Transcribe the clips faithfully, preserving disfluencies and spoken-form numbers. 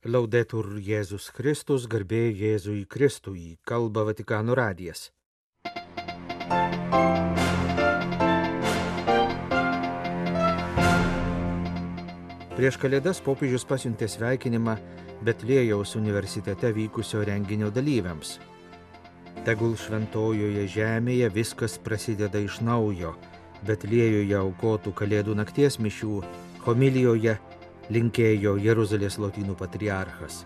Laudetur Jėzus Kristus, garbė Jėzui Kristui, kalba Vatikano radijas. Prieš Kalėdas popiežius pasiuntė sveikinimą Betliejaus universitete vykusio renginio dalyviams. Tegul šventojoje žemėje viskas prasideda iš naujo. Betliejoje aukotų Kalėdų nakties mišių homilijoje linkėjo Jeruzalės lotynų patriarchas.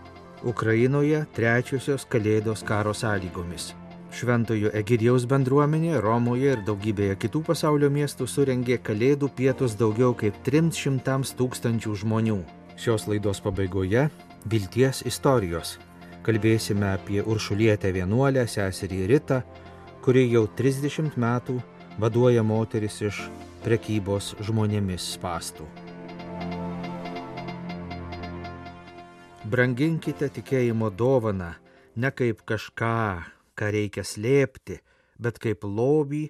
Ukrainoje trečiosios Kalėdos karo sąlygomis. Šventojo Egidijaus bendruomenė Romoje ir daugybėje kitų pasaulio miestų surengė Kalėdų pietus daugiau kaip trims šimtams tūkstančių žmonių. Šios laidos pabaigoje vilties istorijos. Kalbėsime apie Uršulietę vienuolę, seserį Ritą, kuri jau trisdešimt metų vaduoja moteris iš prekybos žmonėmis spąstų. Branginkite tikėjimo dovaną ne kaip kažką, ką reikia slėpti, bet kaip lobį,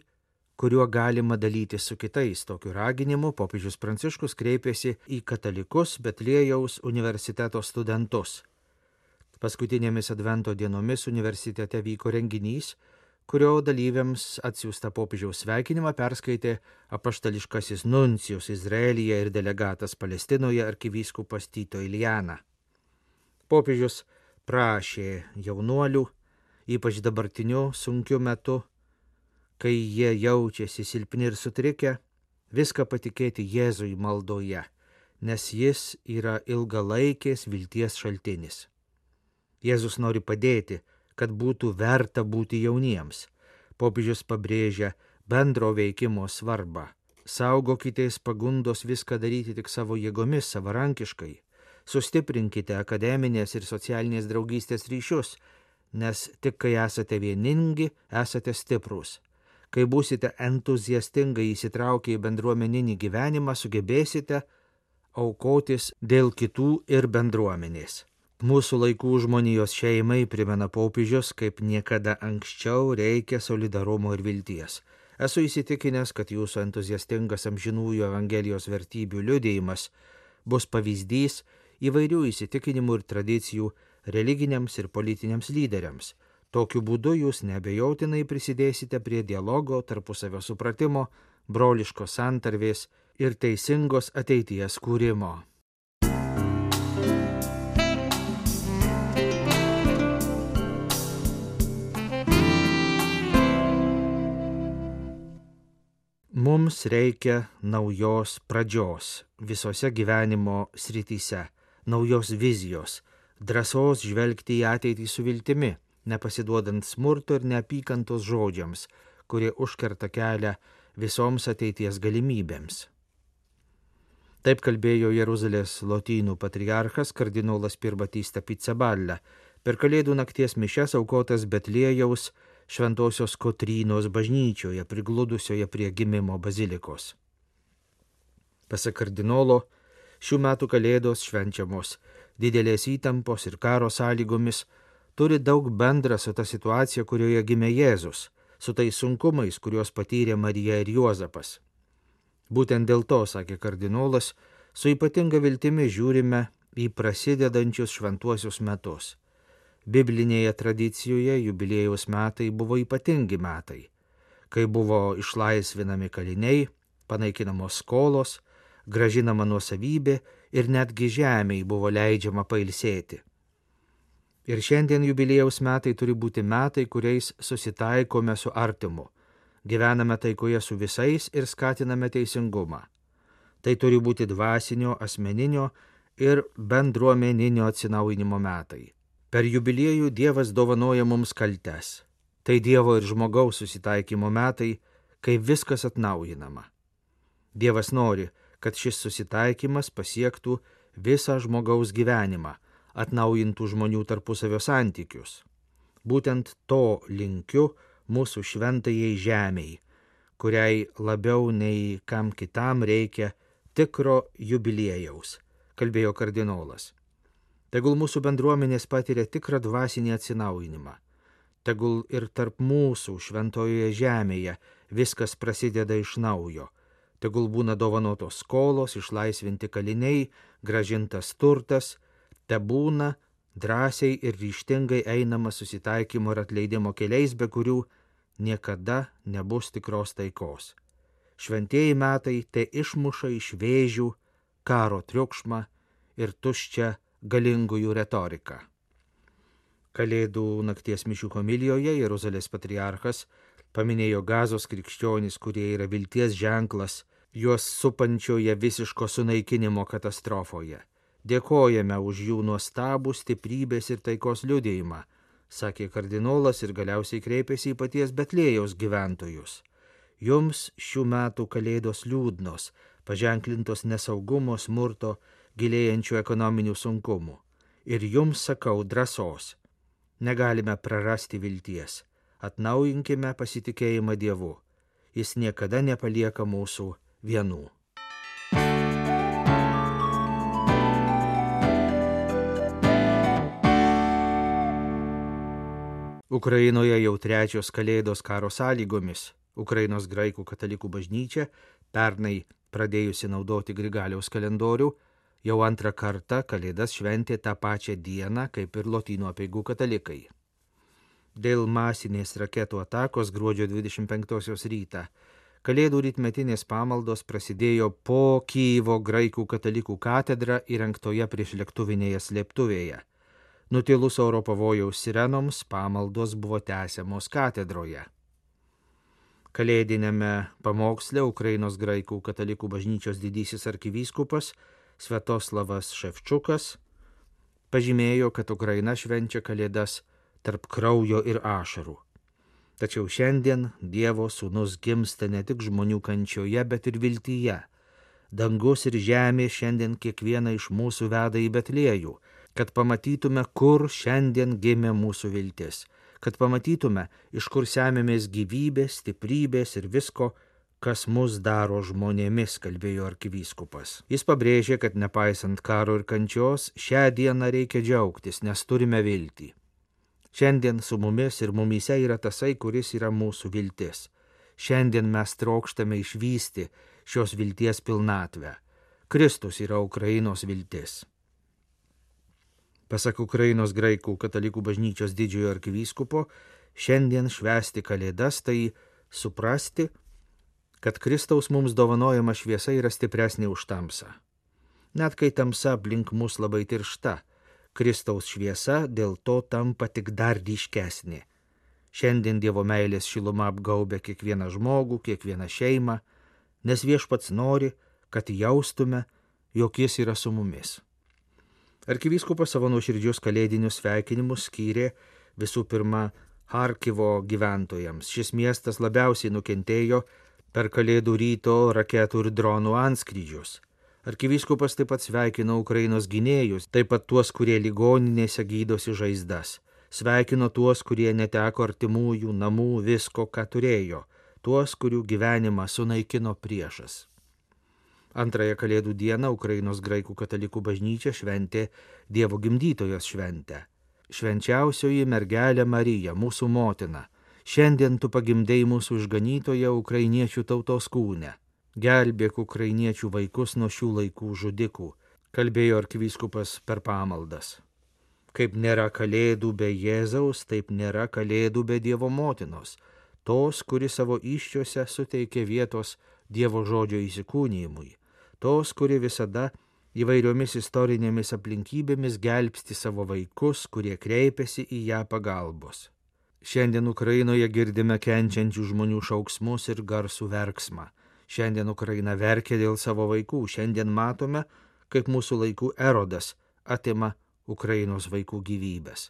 kuriuo galima dalytis su kitais. Tokiu raginimu popiežius Pranciškus kreipėsi į katalikus Betliejaus universiteto studentus. Paskutinėmis advento dienomis universitete vyko renginys, kurio dalyviams atsiųsta popiežiaus sveikinimą perskaitė apaštališkasis nuncijus Izraelyje ir delegatas Palestinoje arkivyskupas Tito Iljana. Popiežius prašė jaunuolių, ypač dabartiniu sunkiu metu, kai jie jaučiasi silpni ir sutrikę, viską patikėti Jėzui maldoje, nes jis yra ilgalaikės vilties šaltinis. Jėzus nori padėti, kad būtų verta būti jauniems. Popiežius pabrėžia bendro veikimo svarbą. Saugokitės pagundos viską daryti tik savo jėgomis, savarankiškai. Sustiprinkite akademinės ir socialinės draugystės ryšius, nes tik kai esate vieningi, esate stiprūs. Kai būsite entuziastingai įsitraukę į bendruomeninį gyvenimą, sugebėsite aukotis dėl kitų ir bendruomenės. Mūsų laikų žmonijos šeimai, primena popiežius, kaip niekada anksčiau reikia solidarumo ir vilties. Esu įsitikinęs, kad jūsų entuziastingas amžinųjų Evangelijos vertybių liudijimas bus pavyzdys įvairių įsitikinimų ir tradicijų religiniams ir politiniams lyderiams. Tokiu būdu jūs neabejotinai prisidėsite prie dialogo, tarpusavio supratimo, broliškos santarvės ir teisingos ateities kūrimo. Mums reikia naujos pradžios visose gyvenimo srityse. Naujos vizijos, drąsos žvelgti į ateitį su viltimi, nepasiduodant smurto ir neapykantos žodžiams, kurie užkerta kelią visoms ateities galimybėms. Taip kalbėjo Jeruzalės lotynų patriarchas kardinolas Pierbattista Pizzaballa per Kalėdų nakties mišias aukotas Betliejaus Šventosios Kotrynos bažnyčioje, prigludusioje prie gimimo bazilikos. Pasak kardinolo, šių metų Kalėdos švenčiamos didelės įtampos ir karo sąlygomis turi daug bendra su ta situacija, kurioje gimė Jėzus, su tais sunkumais, kuriuos patyrė Marija ir Juozapas. Būtent dėl to, sakė kardinolas, su ypatinga viltimi žiūrime į prasidedančius šventuosius metus. Biblinėje tradicijoje jubiliejaus metai buvo ypatingi metai, kai buvo išlaisvinami kaliniai, panaikinamos skolos, gražinama nuosavybė ir netgi žemei buvo leidžiama pailsėti. Ir šiandien jubiliejaus metai turi būti metai, kuriais susitaikome su artimu, gyvename taikoje su visais ir skatiname teisingumą. Tai turi būti dvasinio, asmeninio ir bendruomeninio atsinaujinimo metai. Per jubiliejų Dievas dovanoja mums kaltes. Tai Dievo ir žmogaus susitaikymo metai, kai viskas atnaujinama. Dievas nori, kad šis susitaikymas pasiektų visą žmogaus gyvenimą, atnaujintų žmonių tarpusavio santykius. Būtent to linkiu mūsų šventajai žemei, kuriai labiau nei kam kitam reikia tikro jubiliejaus, kalbėjo kardinolas. Tegul mūsų bendruomenės patiria tikrą dvasinį atsinaujinimą. Tegul ir tarp mūsų šventojoje žemėje viskas prasideda iš naujo. Tegul būna dovanotos skolos, išlaisvinti kaliniai, grąžintas turtas, Te būna drąsiai ir ryžtingai einama susitaikymo ir atleidimo keliais, be kurių niekada nebus tikros taikos. Šventieji metai te išmuša iš vėžių karo triukšmą ir tuščią galingųjų retoriką. Kalėdų nakties mišių homilijoje Jeruzalės patriarchas paminėjo Gazos krikščionys, kurie yra vilties ženklas juos supančioje visiško sunaikinimo katastrofoje. Dėkojame už jų nuostabų stiprybės ir taikos liudijimą, sakė kardinolas ir galiausiai kreipėsi į paties Betlėjaus gyventojus. Jums šių metų kalėdos liūdnos, paženklintos nesaugumo, smurto, gilėjančių ekonominių sunkumų. Ir jums sakau drąsos. Negalime prarasti vilties. Atnaujinkime pasitikėjimą Dievu. Jis niekada nepalieka mūsų vienų. Ukrainoje jau trečios kalėdos karo sąlygomis. Ukrainos graikų katalikų bažnyčia, pernai pradėjusi naudoti Grigaliaus kalendorių, jau antrą kartą kalėdas šventė tą pačią dieną, kaip ir Lotynų apeigų katalikai. Dėl masinės raketų atakos gruodžio dvidešimt penktosios rytą kalėdų rytmetinės pamaldos prasidėjo po Kyjivo graikų katalikų katedrą įrengtoje priešlėktuvinėje slėptuvėje. Nutilus oro pavojaus sirenoms pamaldos buvo tęsiamos katedroje. Kalėdinėme pamoksle Ukrainos graikų katalikų bažnyčios didysis arkivyskupas Sviatoslavas Ševčukas pažymėjo, kad Ukraina švenčia kalėdas tarp kraujo ir ašarų. Tačiau šiandien Dievo sūnus gimsta ne tik žmonių kančioje, bet ir viltyje. Dangus ir žemė šiandien kiekvieną iš mūsų veda į Betliejų, kad pamatytume, kur šiandien gimė mūsų viltis, kad pamatytume, iš kur semėmės gyvybės, stiprybės ir visko, kas mus daro žmonėmis, kalbėjo arkivyskupas. Jis pabrėžė, kad nepaisant karo ir kančios, šią dieną reikia džiaugtis, nes turime viltį. Šiandien su mumis ir mumyse yra tasai, kuris yra mūsų viltis. Šiandien mes trokštame išvysti šios vilties pilnatvę. Kristus yra Ukrainos viltis. Pasak Ukrainos graikų katalikų bažnyčios didžiojo arkivyskupo, šiandien švęsti kalėdas tai suprasti, kad Kristaus mums dovanojama šviesa yra stipresnė už tamsą. Net kai tamsa aplink mus labai tiršta, Kristaus šviesa dėl to tampa tik dar ryškesnė. Šiandien Dievo meilės šiluma apgaubia kiekvieną žmogų, kiekvieną šeimą, nes Viešpats nori, kad jaustume, jog jis yra su mumis. Arkivyskupas savo nuoširdžius kalėdinius sveikinimus skyrė visų pirma Charkivo gyventojams. Šis miestas labiausiai nukentėjo per kalėdų ryto raketų ir dronų antskrydžius. Arkivyskupas taip pat sveikino Ukrainos gynėjus, taip pat tuos, kurie ligoninėse gydosi žaizdas. Sveikino tuos, kurie neteko artimųjų, namų, visko, ką turėjo, tuos, kurių gyvenimą sunaikino priešas. Antrąją kalėdų dieną Ukrainos graikų katalikų bažnyčia šventė Dievo gimdytojos šventę. Švenčiausioji mergelė Marija, mūsų motina, šiandien tu pagimdei mūsų išganytoje ukrainiečių tautos kūne. Gelbėk ukrainiečių vaikus nuo šių laikų žudikų, kalbėjo arkivyskupas per pamaldas. Kaip nėra kalėdų be Jėzaus, taip nėra kalėdų be Dievo motinos, tos, kuri savo įsčiose suteikė vietos Dievo žodžio įsikūnijimui, tos, kuri visada įvairiomis istorinėmis aplinkybėmis gelbsti savo vaikus, kurie kreipiasi į ją pagalbos. Šiandien Ukrainoje girdime kenčiančių žmonių šauksmus ir garsų verksmą. Šiandien Ukraina verkia dėl savo vaikų. Šiandien matome, kaip mūsų laikų Erodas atima Ukrainos vaikų gyvybės.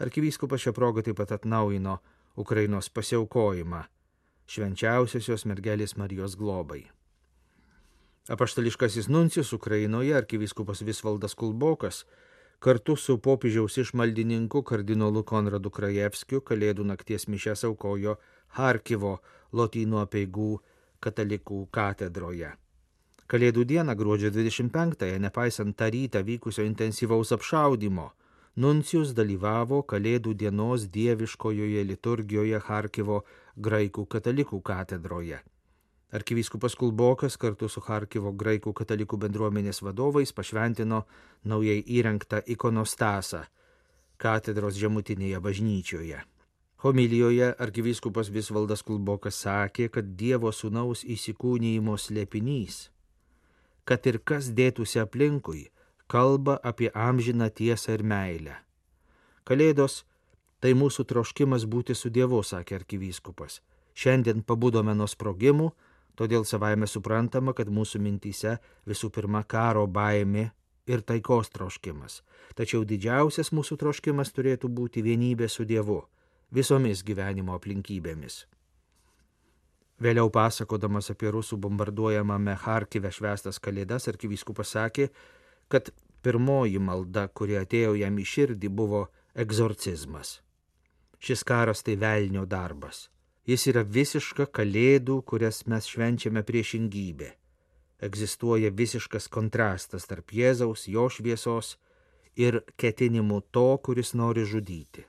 Arkivyskupas šią progą taip pat atnaujino Ukrainos pasiaukojimą švenčiausiosios mergelės Marijos globai. Apaštališkasis nuncijus Ukrainoje, arkivyskupas Visvaldas Kulbokas, kartu su popiežiaus išmaldininku kardinolu Konradu Krajevskiu kalėdų nakties mišias aukojo Charkivo Lotynų apeigų katalikų katedroje. Kalėdų dieną gruodžio dvidešimt penktąją, nepaisant tą rytą vykusio intensyvaus apšaudymo, nuncijus dalyvavo kalėdų dienos dieviškojoje liturgijoje Charkivo graikų katalikų katedroje. Arkivyskupas Kulbokas kartu su Charkivo graikų katalikų bendruomenės vadovais pašventino naujai įrengtą ikonostasą katedros žemutinėje bažnyčioje. Homilijoje arkivyskupas Visvaldas Kulbokas sakė, kad Dievo sūnaus įsikūnijimo slėpinys, kad ir kas dėtųsi aplinkui, kalba apie amžiną tiesą ir meilę. Kalėdos tai mūsų troškimas būti su Dievu, sakė arkivyskupas. Šiandien pabudome nuo sprogimų, todėl savaime suprantama, kad mūsų mintyse visų pirma karo baimė ir taikos troškimas. Tačiau didžiausias mūsų troškimas turėtų būti vienybė su Dievu visomis gyvenimo aplinkybėmis. Vėliau pasakodamas apie rusų bombarduojamame Charkive švęstas kalėdas, arkivyskupas sakė, kad pirmoji malda, kuri atėjo jam į širdį, buvo egzorcizmas. Šis karas tai velnio darbas. Jis yra visiška kalėdų, kurias mes švenčiame priešingybė. Egzistuoja visiškas kontrastas tarp Jėzaus, jo šviesos ir ketinimų to, kuris nori žudyti.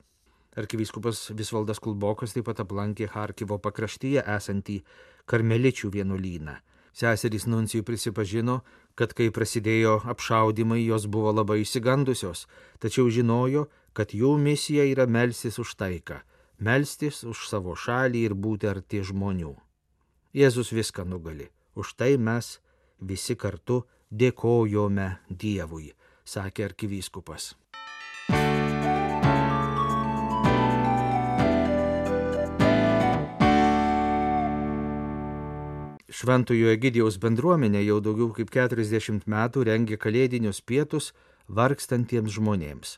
Arkivyskupas Visvaldas Kulbokas taip pat aplankė Charkivo pakraštyje esantį karmeličių vienuolyną. Seserys nuncijų prisipažino, kad kai prasidėjo apšaudymai, jos buvo labai išsigandusios, tačiau žinojo, kad jų misija yra melstis už taiką, melstis už savo šalį ir būti arti žmonių. Jėzus viską nugali. Už tai mes visi kartu dėkojome Dievui, sakė arkivyskupas. Šventojo Egidijaus bendruomenė jau daugiau kaip keturiasdešimt metų rengia kalėdinius pietus vargstantiems žmonėms.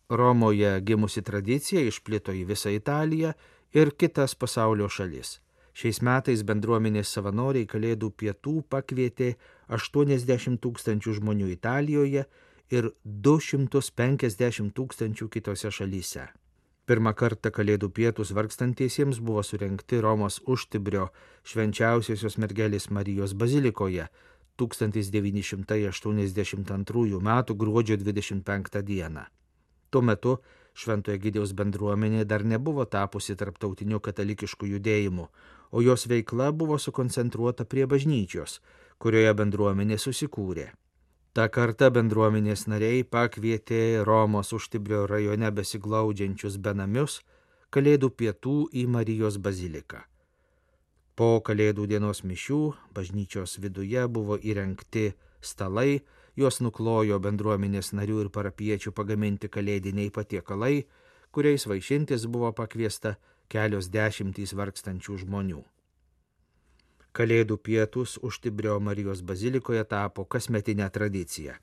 Romoje gimusi tradicija išplito į visą Italiją ir kitas pasaulio šalis. Šiais metais bendruomenės savanoriai kalėdų pietų pakvietė aštuoniasdešimt tūkstančių žmonių Italijoje ir du šimtus penkiasdešimt tūkstančių kitose šalyse. Pirmą kartą kalėdų pietus vargstantiesiems buvo surengti Romos Užtibrio švenčiausiosios mergelės Marijos bazilikoje tūkstantis devyni šimtai aštuoniasdešimt antrųjų metų gruodžio dvidešimt penktą dieną. Tuo metu Šventojo Egidijaus bendruomenė dar nebuvo tapusi tarptautiniu katalikišku judėjimu, o jos veikla buvo sukoncentruota prie bažnyčios, kurioje bendruomenė susikūrė. Ta kartą bendruomenės nariai pakvietė Romos Užtibrio rajone besiglaudžiančius benamius kalėdų pietų į Marijos baziliką. Po kalėdų dienos mišių bažnyčios viduje buvo įrengti stalai, juos nuklojo bendruomenės narių ir parapiečių pagaminti kalėdiniai patiekalai, kuriais vaišintis buvo pakviesta kelios dešimtys vargstančių žmonių. Kalėdų pietus Užtibrio Marijos bazilikoje tapo kasmetinė tradicija.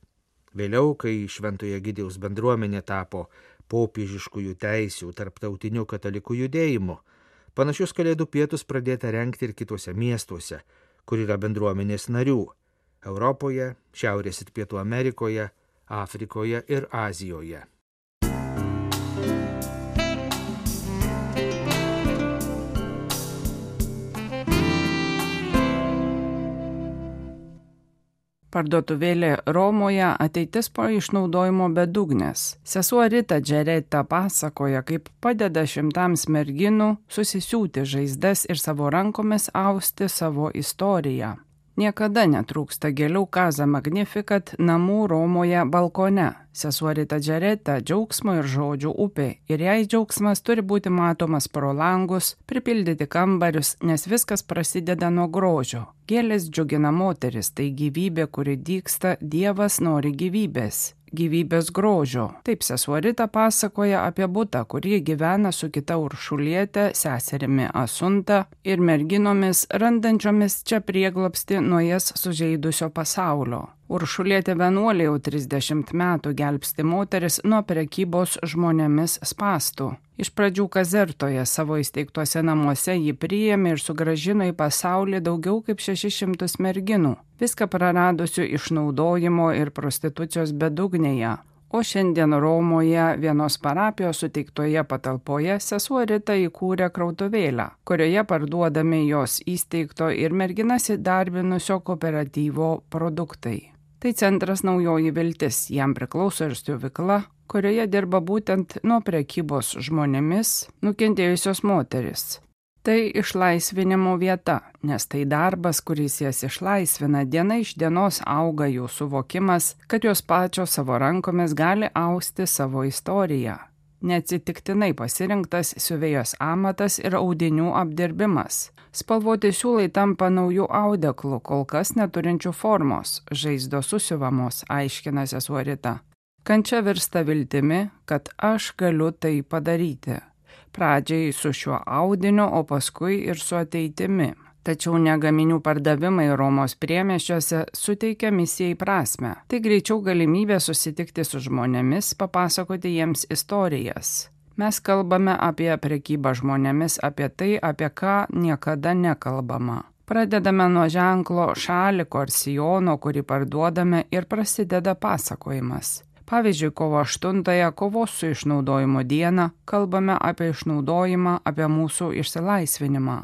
Vėliau, kai Šventojo Egidijaus bendruomenė tapo popiežiškųjų teisių tarptautiniu katalikų judėjimu, panašius kalėdų pietus pradėta rengti ir kitose miestuose, kur yra bendruomenės narių – Europoje, Šiaurės ir Pietų Amerikoje, Afrikoje ir Azijoje. Parduotuvėlė Romoje ateitis po išnaudojimo bedugnės. Sesuo Rita Džereta pasakoja, kaip padeda šimtams merginų susisiūti žaizdas ir savo rankomis austi savo istoriją. Niekada netrūksta gėlių Casa Magnificat namų Romoje balkone. Sesuo Rita Džereta džiaugsmo ir žodžių upė, ir jei džiaugsmas turi būti matomas pro langus, pripildyti kambarius, nes viskas prasideda nuo grožio. Gėlės džiugina moteris, tai gyvybė, kuri dygsta, Dievas nori gyvybės. Gyvybės grožio. Taip sesuo Rita pasakoja apie butą, kurį gyvena su kita Uršuliete, seserimi Asunta ir merginomis, randančiomis čia prieglobstį nuo jas sužeidusio pasaulio. Uršulietė vienuolė jau trisdešimt metų gelbsti moteris nuo prekybos žmonėmis spąstų. Iš pradžių Kazertoje savo įsteigtuose namuose jį priėmė ir sugrąžino į pasaulį daugiau kaip šešis šimtus merginų, viską praradusių išnaudojimo ir prostitucijos bedugnėje. O šiandien Romoje vienos parapijos suteiktoje patalpoje sesuo Rita įkūrė krautuvėlę, kurioje parduodami jos įsteigto ir merginas įdarbinusio kooperatyvo produktai. Tai centras Naujoji Viltis, jam priklauso ir stovykla, kurioje dirba būtent nuo prekybos žmonėmis nukentėjusios moteris. Tai išlaisvinimo vieta, nes tai darbas, kuris jas išlaisvina, diena iš dienos auga jų suvokimas, kad jos pačios savo rankomis gali austi savo istoriją. Neatsitiktinai pasirinktas siuvėjos amatas ir audinių apdirbimas. Spalvoti siūlai tampa naujų audeklų, kol kas neturinčių formos, žaizdos susiuvamos, aiškina sesuo Rita. Kančia virsta viltimi, kad aš galiu tai padaryti. Pradžiai su šiuo audiniu, o paskui ir su ateitimi. Tačiau ne gaminių pardavimai Romos priemiesčiuose suteikia misijai prasmę. Tai greičiau galimybė susitikti su žmonėmis, papasakoti jiems istorijas. Mes kalbame apie prekybą žmonėmis, apie tai, apie ką niekada nekalbama. Pradedame nuo ženklo šaliko ar sijono, kurį parduodame, ir prasideda pasakojimas. Pavyzdžiui, kovo aštuntąją, kovos su išnaudojimo dieną, kalbame apie išnaudojimą, apie mūsų išsilaisvinimą.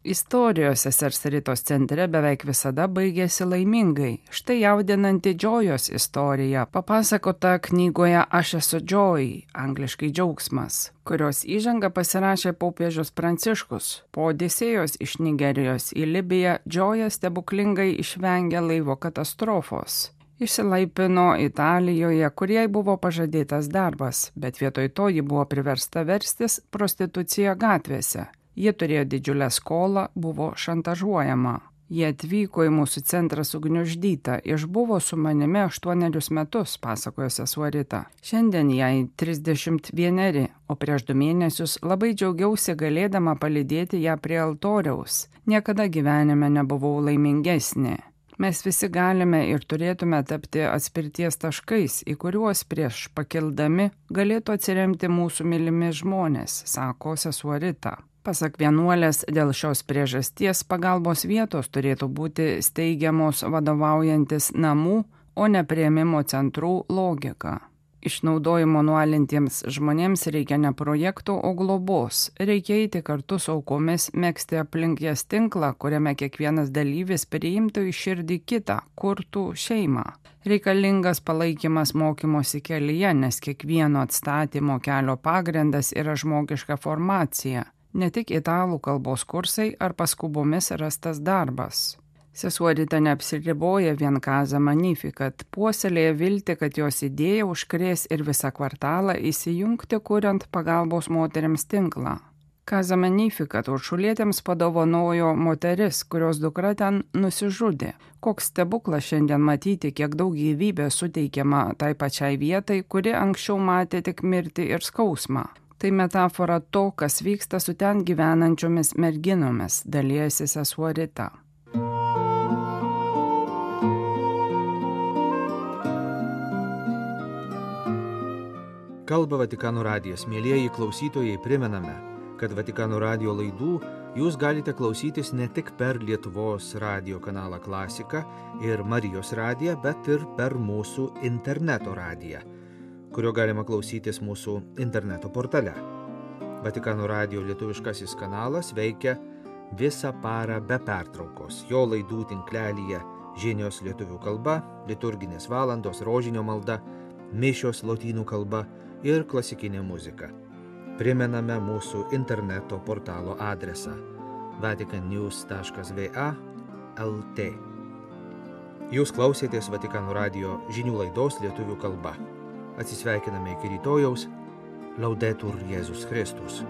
Istorijos sesers Ritos centre beveik visada baigėsi laimingai. Štai jaudinanti Džojos istorija, papasakota knygoje Aš esu Joy, angliškai džiaugsmas, kurios įžangą pasirašė popiežius Pranciškus. Po Odisėjos iš Nigerijos į Libiją Džoja stebuklingai išvengė laivo katastrofos. Išsilaipino Italijoje, kur jai buvo pažadėtas darbas, bet vietoj to ji buvo priversta verstis prostitucija gatvėse. Ji turėjo didžiulę skolą, buvo šantažuojama. Ji atvyko į mūsų centrą sugniuždyta, išbuvo su manimi aštuonerius metus, pasakojo sesuo Rita. Šiandien jai trisdešimt vieneri, o prieš du mėnesius labai džiaugiausi galėdama palydėti ją prie altoriaus. Niekada gyvenime nebuvau laimingesnė. Mes visi galime ir turėtume tapti atspirties taškais, į kuriuos prieš pakildami galėtų atsiremti mūsų mylimi žmonės, sako sesuo Rita. Pasak vienuolės, dėl šios priežasties pagalbos vietos turėtų būti steigiamos vadovaujantis namų, o ne priėmimo centrų logika. Išnaudojimo nualintiems žmonėms reikia ne projektų, o globos. Reikia eiti kartu su aukomis, megzti aplink jas tinklą, kuriame kiekvienas dalyvis priimtų į širdį kitą, kurtų šeimą. Reikalingas palaikymas mokymosi kelyje, nes kiekvieno atstatymo kelio pagrindas yra žmogiška formacija, ne tik italų kalbos kursai ar paskubomis rastas darbas. Sesuo Rita neapsiriboja vien Casa Magnificat, puoselėja viltį, kad jos idėja užkrės ir visą kvartalą įsijungti, kuriant pagalbos moteriams tinklą. Casa Magnificat uršulietėms padovanojo moteris, kurios dukra ten nusižudė. Koks stebuklas šiandien matyti, kiek daug gyvybės suteikiama tai pačiai vietai, kuri anksčiau matė tik mirtį ir skausmą. Tai metafora to, kas vyksta su ten gyvenančiomis merginomis, dalijasi sesuo Rita. Kalba Vatikano radijas. Mielieji klausytojai, primename, kad Vatikano radijo laidų jūs galite klausytis ne tik per Lietuvos radijo kanalą Klasika ir Marijos radiją, bet ir per mūsų interneto radiją, kurio galima klausytis mūsų interneto portale. Vatikano radijo lietuviškasis kanalas veikia visą parą be pertraukos. Jo laidų tinklelyje žinios lietuvių kalba, liturginės valandos, rožinio malda, mišios lotynų kalba ir klasikinė muzika. Primename mūsų interneto portalo adresą vatican news taškas v a taškas l t. Jūs klausėtės Vatikano radijo žinių laidos lietuvių kalba. Atsisveikiname iki rytojaus. Laudetur Jėzus Kristus.